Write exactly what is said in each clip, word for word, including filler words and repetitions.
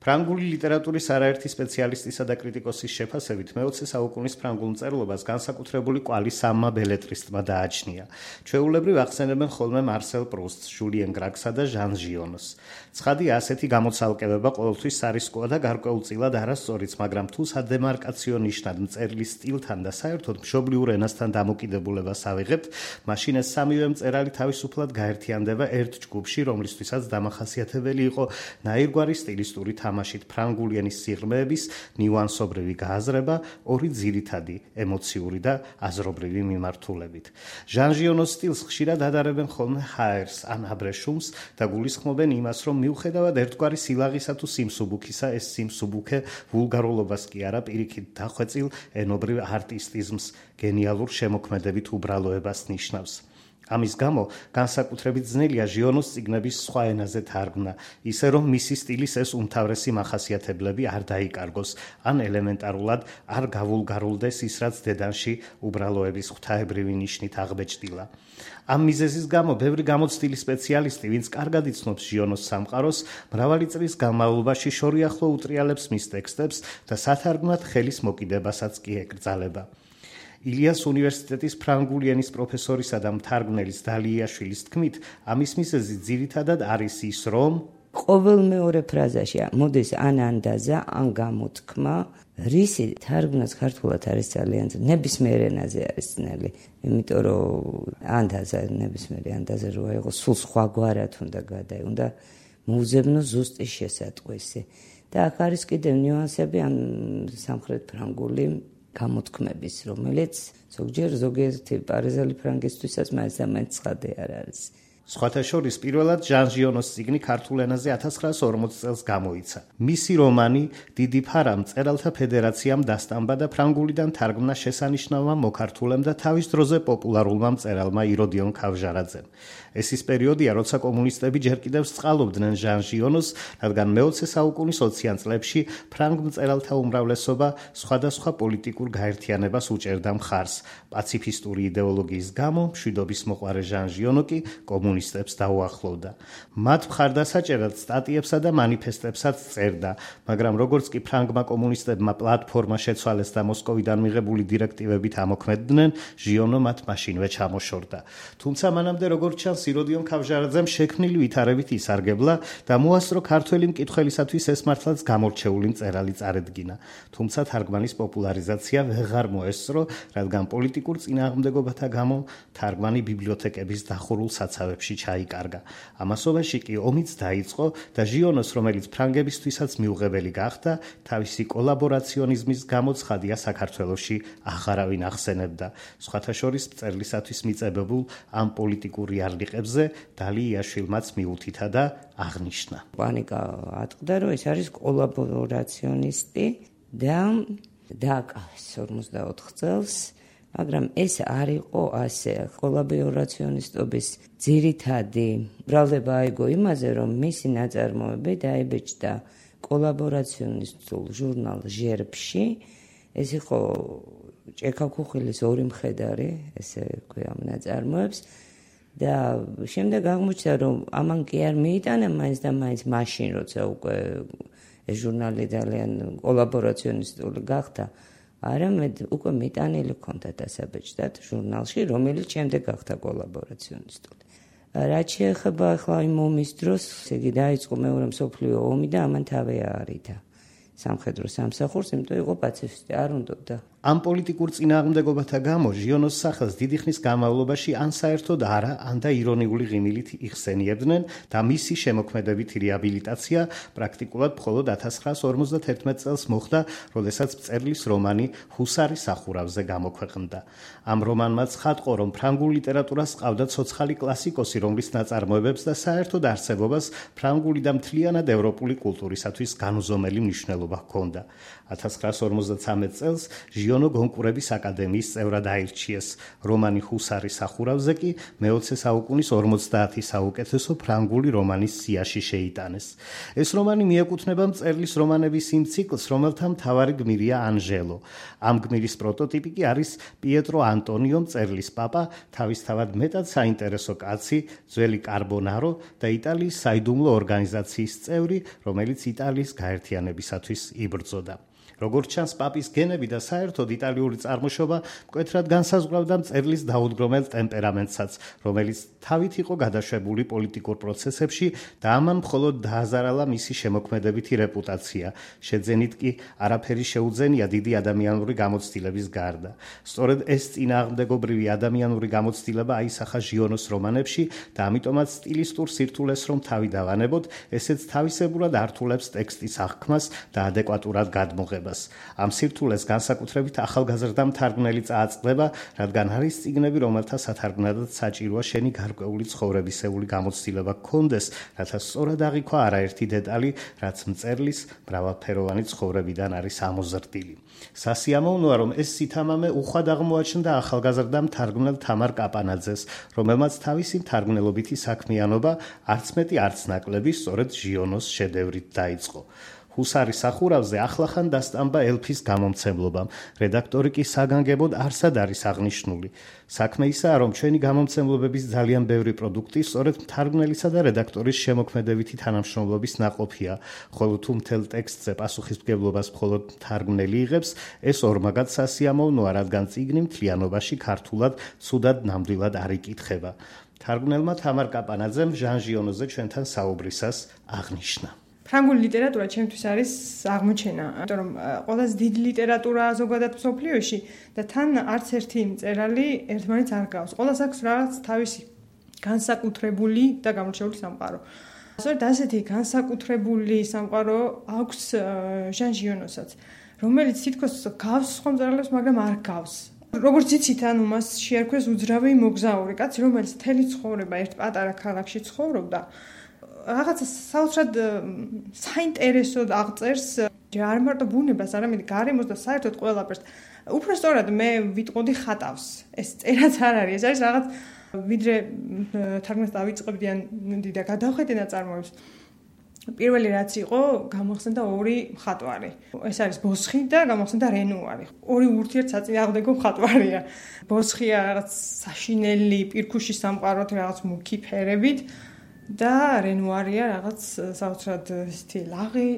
ფრანგული ლიტერატურის არაერთი სპეციალისტისა და კრიტიკოსის შეფასებით მეოცე საუკუნის ფრანგულ მწერლობას განსაკუთრებული კვალი სამმა ბელეტრისტმა დააჩნია. ჩვეულებრივ ახსენებენ ხოლმე მარსელ პრუსტს, ჟულიენ გრაგსა და ჟან ჟიონოს. ცხადია, ასეთი გამოცალკებება ყოველთვის სარისკოა და გარკვეულწილად არასწორიც, მაგრამ თუ სადემარკაციო ნიშნად მწერლის სტილთან და საერთოდ მშობლიურ ენასთან დამოკიდებულებას ავიღებთ, მაშინ ეს სამივე მწერალი თავისუფლად გაერთიანდება ერთ ჯგუფში, რომლისთვისაც დამახასიათებელი იყო ნაირგვარი სტილისტური თამაშით ფრანგული ენის სიღრმეების ნიუანსობრივი გააზრება ორი ძირითადი ემოციური და აზრობრივი მიმართულებით. ჟან ჟიონოს სტილს ხშირად ადარებენ ხოლმე ჰაერს ან აბრეშუმს და გულისხმობენ იმას, რომ მიუხედავად ერთგვარი სილაღისა თუ სიმსუბუქისა, ეს სიმსუბუქე ვულგარულობას კი არა, პირიქით დახვეწილ ენობრივ არტისტიზმს, გენიალურ შემოქმედებით უბრალოებას ნიშნავს. ამის გამო განსაკუთრებით ძნელია ჟიონოს წიგნების სხვა ენაზე თარგმნა, ისე რომ მისი სტილის ეს უმთავრესი მახასიათებლები არ დაიკარგოს, ან ელემენტარულად არ გავულგარულდეს ის, რაც დედანში უბრალოების ღვთაებრივი ნიშნით აღბეჭდილა. ამ მიზეზის გამო ბევრი გამოცდილი სპეციალისტი, ვინც კარგად იცნობს ჟიონოს სამყაროს, მრავალი წლის განმავლობაში შორიახლო უტრიალებს მის ტექსტებს და სათარგმნად ხელის მოკიდებასაც კი ეკრძალება. ილიას უნივერსიტეტის ფრანგული ენის პროფესორისა და მთარგმნელის დალიაშვილის თქმით, ამის მიზეზი ძირითადად არის ის, რომ ყოველ მეორე ფრაზაში მოდის ან ანდაზა, ან გამოთქმა, რისი თარგმნაც ქართულად არის ძალიან ნებისმიერ ენაზე არის ძნელი, იმიტომ რომ ანდაზა ნებისმიერი ანდაზა რო აიღოს, სულ სხვაგვარად უნდა გადაი, უნდა მოუძებნო ზუსტი შესატყვისი. და აქ არის კიდევ ნიუანსები ამ სამხრეთ ფრანგული გამოთქმების, რომელიც ზოგჯერ ზოგიერთი პარიზელი ფრანგისთვისაც მაინც და მაინც ცხადი არ არის. სხვათა შორის პირველად ჟან ჟიონოს წიგნი ქართულ ენაზე ათას ცხრაასი ორმოცი წელს გამოიცა. მისი რომანი დიდი ფარა მწერალთა ფედერაციამ დასტამბა და ფრანგულიდან თარგმნა შესანიშნავმა მოქართულემ და თავის დროზე პოპულარულმა მწერალმა იროდიონ ქავჟარაძემ. ეს ის პერიოდია, როცა კომუნისტები ჯერ კიდევ სწყალობდნენ ჟან ჟიონოს, რადგან მეოცე საუკუნის ოციან წლებში ფრანგ მწერალთა უმრავლესობა სხვადასხვა პოლიტიკურ გაერთიანებას უჭერდა მხარს. პაციფისტური იდეოლოგიის გამო მშვიდობის მოყვარე ჟან ჟიონო კი კომუნისტებს დაუახლოვდა. მათ მხარდასაჭერად სტატიებსა და მანიფესტებსაც წერდა, მაგრამ როგორც კი ფრანგმა კომუნისტებმა პლატფორმა შეცვალეს და მოსკოვიდან მიღებული დირექტივებით ამოქმედდნენ, ჟიონო მათ მაშინვე ჩამოშორდა. თუმცა მანამდე როგორც ჩანს, იროდიონ ქავჟარაძემ შექმნილი ვითარებით ისარგებლა და მოასწრო ქართველი მკითხველისათვის ეს მართლაც გამორჩეული მწერალი წარედგინა. თუმცა თარგმანის პოპულარიზაცია ვეღარ მოესწრო, რადგან პოლიტიკურ წინააღმდეგობათა გამო თარგმანი ბიბლიოთეკების დახურულ საცავებში ჩაიკარგა. ამასობაში კი ომიც დაიწყო და ჟიონოს, რომელიც ფრანგებისთვისაც მიუღებელი გახდა, თავისი კოლაბორაციონიზმის გამო ცხადია საქართველოში აღარავინ ახსენებდა. სხვათა შორის მწერლისათვის მიწებებულ ამ პოლიტიკურ იარლიყებზე დალიაშვილმაც მიუთითა და აღნიშნა. პანიკა ატყდა, რომ ეს არის კოლაბორაციონისტი და დააკავეს ორმოცდაოთხ წელს, მაგრამ ეს არ იყო ასე. კოლაბორაციონისტობის ძირითადი ბრალდება აიგო იმაზე, რომ მისი ნაწარმოები დაიბეჭდა კოლაბორაციონისტულ ჟურნალ ჟერბში. ეს იყო ჭექა-ქუხილის ორი მხედარი, ესე ქვია ამ ნაწარმოებს. და შემდეგ აღმოჩნდა, რომ ამან კი არ მიიტანა მაინც და მაინც მაშინ, როცა უკვე ეს ჟურნალი ძალიან კოლაბორაციონისტული გახდა, არამედ უკვე მიტანილი ჰქონდა დასაბეჭდად ჟურნალში, რომელიც შემდეგ გახდა კოლაბორაციონისტული. რაც შეეხება ახლა იმ ომის დროს, ესე იგი დაიწყო მეორე მსოფლიო ომი და ამან თავი აარიდა სამხედრო სამსახურს, იმიტომ იყო პაციფისტი, არ უნდოდა. ამ პოლიტიკურ წინააღმდეგობათა გამო ჟიონოს სახელს დიდი ხნის განმავლობაში ან საერთოდ არა, ან და ირონიული ღიმილით იხსენიებდნენ და მისი შემოქმედებითი რეაბილიტაცია პრაქტიკულად მხოლოდ ათას ცხრაასი ორმოცდათერთმეტ წელს მოხდა, როდესაც მწერლის რომანი ჰუსარი სახურავზე გამოქვეყნდა. ამ რომანმა ცხადყო, რომ ფრანგულ ლიტერატურას ყავდა ცოცხალი კლასიკოსი, რომლის ნაწარმოებებს და საერთოდ არსებობას ფრანგული და მთლიანად ევროპული კულტურისათვის განუზომელი მნიშვნელობა ჰქონდა. ათას ცხრაასი ორმოცდათვრამეტ წელს ჟიონო გონკურების აკადემიის წევრად აირჩიეს. რომანი ჰუსარი სახურავზე კი მეოცე საუკუნის ორმოცდაათი საუკეთესო ფრანგული რომანის სიაში შეიტანეს. ეს რომანი მიეკუთვნება მწერლის რომანების იმ ციკლს, რომელთა მთავარი გმირია ანჟელო. ამ გმირის პროტოტიპი კი არის პიეტრო ანტონიო, მწერლის პაპა, თავისთავად მეტად საინტერესო კაცი, ძველი კარბონარო და იტალიის საიდუმლო ორგანიზაციის წევრი, რომელიც იტალიის გაერთიანებისათვის იბრძოდა. როგორც ჩანს, პაპის გენები და საერთოდ იტალიური წარმოშობა მკვეთრად განსაზღვრავდა მწერლის დაუდგრომელ ტემპერამენტსაც, რომელიც თავით იყო გადაშვებული პოლიტიკურ პროცესებში და ამან მხოლოდ დააზარალა მისი შემოქმედებითი რეპუტაცია. შეძენით კი არაფერი შეუძენია დიდი ადამიანური გამოცდილების გარდა. სწორედ ეს წინააღმდეგობრივი ადამიანური გამოცდილება აისახა ჟიონოს რომანებში და ამიტომაც სტილისტურ სირთულეს რომ თავი დავანებოთ, ესეც თავისებურად ართულებს ტექსტის აღქმას და ადეკვატურად გადმოღებას. ამ სირთულეს განსაკუთრებით ახალგაზრდა მთარგმნელი წააწყდება, რადგან არის წიგნები, რომელთა სათარგმნადად საჭიროა შენი გარკვეული ცხოვრებისეული გამოცდილება გქონდეს, რათა სწორად აღიქვა არაერთი დეტალი, რაც მწერლის მრავალფეროვანი ცხოვრებიდან არის ამოზრდილი. სასიამოვნოა, რომ ეს სითამამე უხვად აღმოაჩნდა ახალგაზრდა მთარგმნელ თამარ კაპანაძეს, რომელმაც თავისი მთარგმნელობითი საქმიანობა არც მეტი არც ნაკლები სწორედ ჟიონოს შედევრით დაიწყო. ჰუსარის სახურავზე ახლახან დასტამბა ელფის გამომცემლობამ. რედაქტორი კი საგანგებოდ არსად არის აღნიშნული. საქმე ისაა, რომ ჩვენი გამომცემლობების ძალიან ბევრი პროდუქტი სწორედ მთარგმნელისა და რედაქტორის შემოქმედებითი თანამშრომლობის ნაყოფია, ხოლო თუ მთელ ტექსტზე პასუხისმგებლობას მხოლოდ მთარგმნელი იღებს, ეს ორმაგად სასიამოვნოა, რადგან წიგნი მთლიანობაში ქართულად ცუდად ნამდვილად არ იკითხება. მთარგმნელმა თამარ კაპანაძემ ჟან ჟიონოზე ჩვენთან საუბრისას აღნიშნა. ფრანგული ლიტერატურა ჩემთვის არის აღმოჩენა, იმიტომ რომ ყველაზე დიდი ლიტერატურაა ზოგადად მსოფლიოში და თან არც ერთი მწერალი ერთმანეთს არ გავს. ყველას აქვს რაღაც თავისი განსაკუთრებული და გამორჩეული სამყარო. სწორედ ასეთი განსაკუთრებული სამყარო აქვს ჟან ჟიონოსაც, რომელიც თითქოს გავს სხვა მწერლებს, მაგრამ არ გავს. როგორც იცით, ანუ მას შეარქვეს უძრავი მოგზაური კაცი, რომელიც მთელი ცხოვრება ერთ პატარა ქალაქში ცხოვრობდა. რაღაცა საოცრად საინტერესოდ აღწერს არ მარტო ბუნებას, არამედ გარემოს და საერთოდ ყველაფერს. უფრო სწორად მე ვიტყოდი ხატავს. ეს წერაც არ არის, ეს არის რაღაც ვიდრე თარგმნას დავიწყებდიან და გადავხედე ნაწარმოებს. პირველი რაც იყო, გამოხსენდა ორი მხატვარი. ეს არის ბოსხი და გამოხსენდა რენუარი. ორი ურთიერთსაწინააღმდეგო მხატვარია. ბოსხია რაღაც საშინელი პირქუშის სამყაროთ, რაღაც მუქი ფერებით. და რენუარია რაღაც საოცრად ისეთი ლაღი,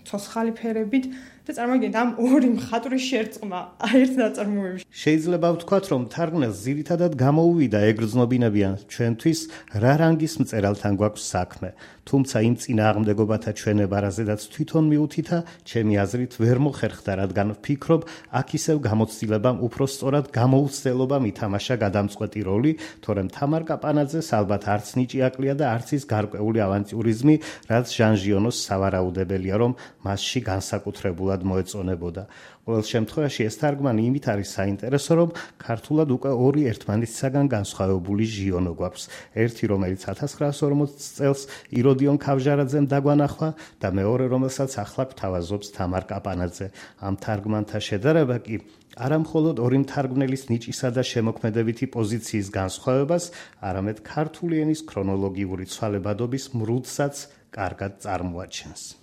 ცოცხალი ფერებით და წარმოგიდგენთ ამ ორი მხატვრის შერწყმა ერთ ნაწარმოებში. შეიძლება ვთქვათ, რომ მთარგმნელს ძირითადად გამოუვიდა ეგრძნობინებიან ჩვენთვის რა რანგის მწერალთან გვაქვს საქმე. თუმცა იმ წინააღმდეგობათა ჩვენება, რაზედაც თვითონ მივუთითა, ჩემი აზრით ვერ მოხერხდა, რადგან ვფიქრობ, აქ ისევ გამოცდილებამ უფრო სწორად გამოუცდელობამ ითამაშა გადამწყვეტი როლი, თორემ თამარ კაპანაძეს ალბათ არც ნიჭი აკლია და არც ის გარკვეული ავანტიურიზმი, რაც ჟან ჟიონოს სავარაუდებელია, რომ მასში განსაკუთრებულად მოეწონებოდა. ყოველ შემთხვევაში ეს თარგმანი იმით არის საინტერესო, რომ ქართულად უკვე ორი ერთმანეთისაგან განსხვავებული ჟიონო გვაქვს. ერთი, რომელიც ათას ცხრაას ორმოცდ წელს იროდიონ ქავჟარაძემ დაგვანახვა და მეორე, რომელსაც ახლა გვთავაზობს თამარ კაპანაძე. ამ თარგმანთა შედარება კი არა მხოლოდ ორი მთარგმნელის ნიჭისა და შემოქმედებითი პოზიციის განსხვავებას, არამედ ქართული ენის ქრონოლოგიური ცვალებადობის მრუდსაც კარგად წარმოაჩენს.